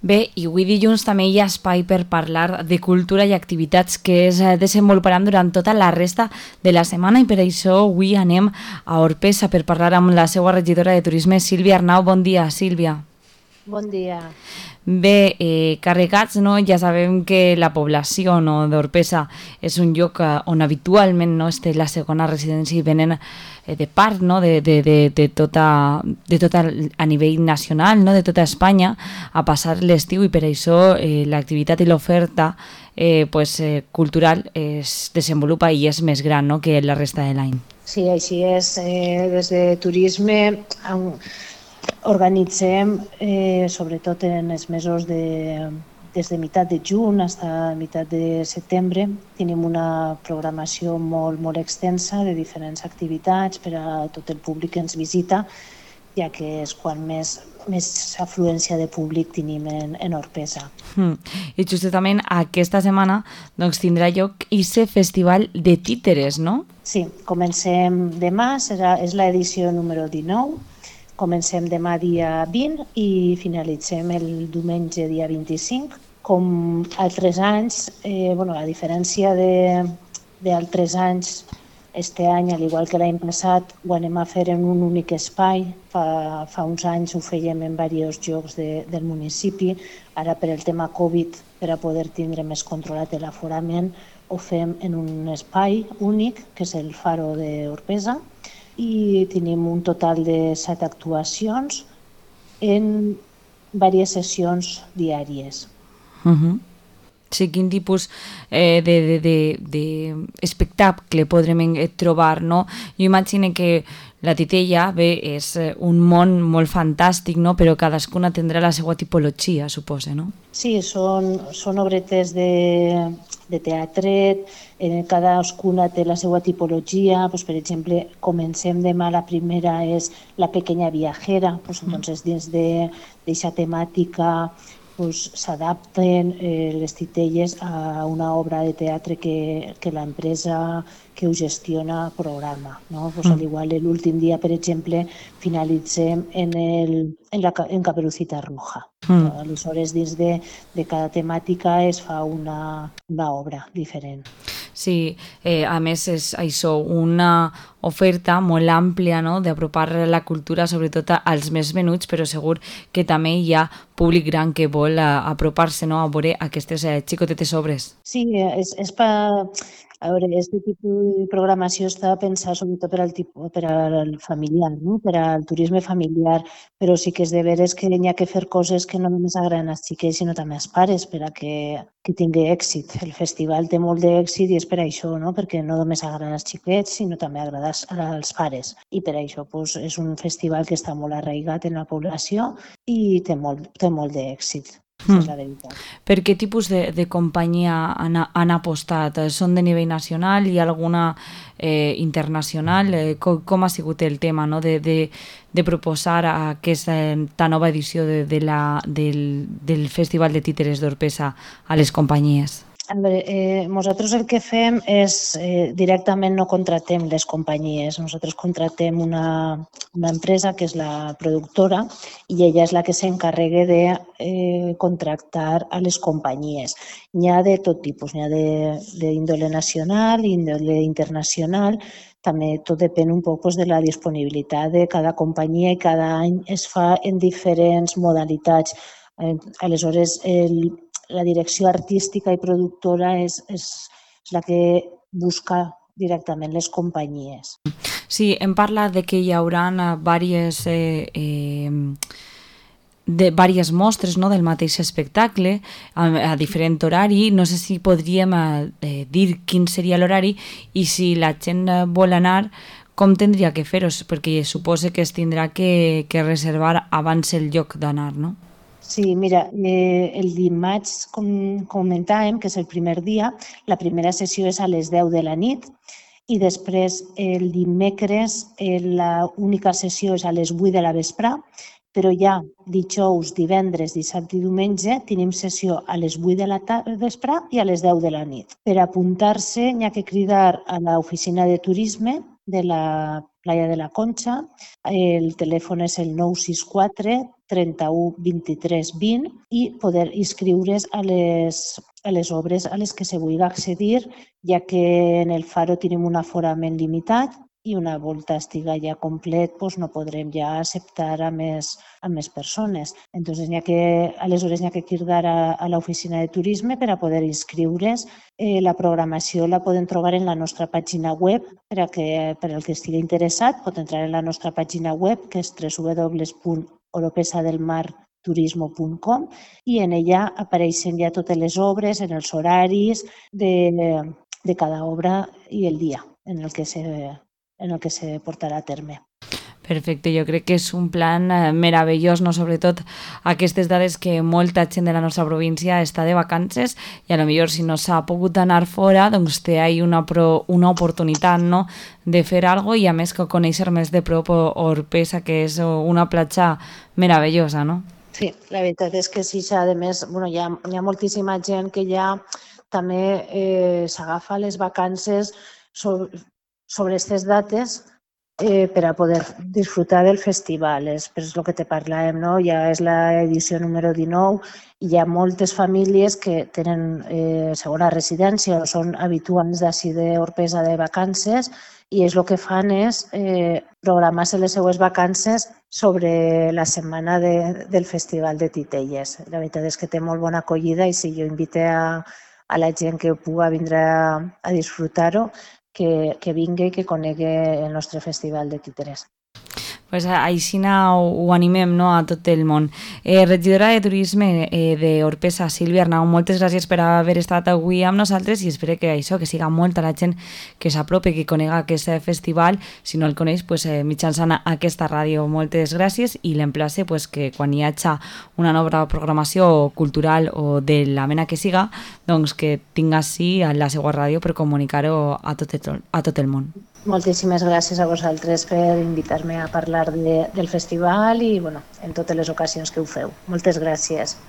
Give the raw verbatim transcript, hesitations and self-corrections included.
Bé, i avui dilluns també hi ha espai per parlar de cultura i activitats que es desenvoluparan durant tota la resta de la setmana i per això avui anem a Orpesa per parlar amb la seva regidora de turisme, Sílvia Arnau. Bon dia, Sílvia. Bon dia. Bé, eh, carregats, no? Ja sabem que la població, no, d'Orpesa és un lloc on habitualment, no, és la segona residència i venen eh, de part, no, de, de, de, de, tota, de tota a nivell nacional, no, de tota Espanya a passar l'estiu i per això eh, l'activitat i l'oferta eh, pues, eh, cultural es desenvolupa i és més gran, no, que la resta de l'any. Sí, així és. Eh, des de turisme organitzem, eh, sobretot en els mesos de, des de meitat de juny fins a meitat de setembre, tenim una programació molt, molt extensa de diferents activitats per a tot el públic que ens visita, ja que és quan més, més afluència de públic tenim en, en Orpesa. Mm. I justament aquesta setmana doncs, tindrà lloc aquest festival de títeres, no? Sí, comencem demà, serà, és l'edició número dinou. Comencem demà dia vint i finalitzem el diumenge dia vint-i-cinc. Com altres anys, eh, bueno, a diferència d'altres anys, este any, al igual que l'any passat, ho anem a fer en un únic espai. Fa, fa uns anys ho fèiem en diversos llocs de, del municipi. Ara, per el tema Covid, per a poder tindre més controlat l'aforament, ho fem en un espai únic, que és el Faro d'Orpesa, i tenim un total de set actuacions en diverses sessions diàries. Uh-huh. Sí, quin tipus eh, d'espectacle podrem trobar, no? Jo imagino que la titella, bé, és un món molt fantàstic, no? Però cadascuna tindrà la seva tipologia, suposa, no? Sí, són, són obretes de, de teatret, eh, cadascuna té la seva tipologia. Pues, per exemple, comencem demà, la primera és La pequeña viajera, pues, entonces dins d'aquesta temàtica pues, s'adapten eh, les titelles a una obra de teatre que, que l'empresa que ho gestiona programa. No? Pues, al igual, l'últim dia, per exemple, finalitzem en, el, en, la, en Caperucita Roja. Mm. Aleshores, dins de, de cada temàtica es fa una, una obra diferent. Sí, eh, a més és això, una oferta molt àmplia, no?, d'apropar la cultura sobretot als més menuts, però segur que també hi ha públic gran que vol apropar-se, no?, a veure aquestes eh, xicotetes obres. Sí, és, és per... A veure, aquest tipus de programació està pensat sobretot per al, tipus, per al familiar, no? Per al turisme familiar, però sí que és de veres que hi ha que fer coses que no només agraden als xiquets, sinó també als pares, per a que, que tingui èxit. El festival té molt d'èxit i és per això, no? Perquè no només agrada als xiquets, sinó també agrada als pares. I per això pues, és un festival que està molt arraigat en la població i té molt, té molt d'èxit. Mm. És la veritat. Per què tipus de, de companyia han, han apostat? Són de nivell nacional? Hi ha alguna eh, internacional? Eh, com, com ha sigut el tema, no? de, de, de proposar aquesta nova edició de, de la, del, del Festival de Títeres d'Orpesa a les companyies? A veure, eh, nosaltres el que fem és eh, directament no contractem les companyies, nosaltres contractem una, una empresa que és la productora i ella és la que s'encarrega de eh, contractar a les companyies. N'hi ha de tot tipus, n'hi ha d'índole nacional i índole internacional, també tot depèn un poc pues, de la disponibilitat de cada companyia i cada any es fa en diferents modalitats. Eh, aleshores, el la direcció artística i productora és, és, és la que busca directament les companyies. Sí, hem parlat de que hi haurà diverses, eh, eh, de diverses mostres, no?, del mateix espectacle a, a diferent horari. No sé si podríem eh, dir quin seria l'horari i si la gent vol anar, com tindria que fer-ho? Perquè suposo que es tindrà que, que reservar abans el lloc d'anar, no? Sí, mira, eh, el dimarts, com comentàvem, que és el primer dia, la primera sessió és a les deu de la nit i després el dimecres eh, l'única sessió és a les vuit de la vespre, però ja dijous, divendres, dissabte i diumenge tenim sessió a les vuit de la vespre i a les deu de la nit. Per apuntar-se n'hi ha que cridar a l'oficina de turisme de la Playa de la Concha. El telèfon és el nou sis quatre trenta-u vint-i-tres vint i poder inscriure's a les, a les obres a les que se vulgui accedir, ja que en el Faro tenim un aforament limitat i una volta estiga ja complet doncs no podrem ja acceptar a més, a més persones. Entonces, n'hi ha que, aleshores n'hi ha que cridar a, a l'oficina de turisme per a poder inscriure's. Eh, la programació la poden trobar en la nostra pàgina web, per a que, per al que estigui interessat pot entrar en la nostra pàgina web, que és w w w punt oropesa del mar turismo punt com, i en ella apareixen ja totes les obres, en els horaris de, de cada obra i el dia en el que se en el que se portarà a terme. Perfecte, jo crec que és un plan eh, meravellós, no? Sobretot aquestes dades que molta gent de la nostra província està de vacances i a lo millor si no s'ha pogut anar fora, doncs té ahí una, pro, una oportunitat, no?, de fer alguna cosa i a més que conèixer més de prop Orpesa, que és una platja meravellosa, no? Sí, la veritat és que sí, a més, bueno, hi ha, hi ha moltíssima gent que ja també eh, s'agafa les vacances sobre sobre aquestes dates eh, per a poder disfrutar del festival. És per el que te parlàvem, no? Ja és l'edició número dinou i hi ha moltes famílies que tenen eh, segona residència o són habituals d'ací d'Orpesa de vacances i és el que fan és eh, programar-se les seues vacances sobre la setmana de, del Festival de Titelles. La veritat és que té molt bona acollida i si jo invite a, a la gent que pugui vindre a, a disfrutar-ho, que, que vingui i que conegui el nostre Festival de Títeres. Pues així ho, ho animem, no?, a tot el món. Eh, regidora de Turisme eh, d'Orpesa, Sílvia Arnau, moltes gràcies per haver estat avui amb nosaltres i espero que això, que siga molta la gent que s'apropi, que conega aquest festival. Si no el coneix, pues, eh, mitjançant aquesta ràdio. Moltes gràcies i l'emplace pues, que quan hi hagi una nova programació cultural o de la mena que siga, doncs que tinga sí a la seva ràdio per comunicar-ho a tot el, a tot el món. Moltíssimes gràcies a vosaltres per invitar-me a parlar de, del festival i bueno, en totes les ocasions que ho feu. Moltes gràcies.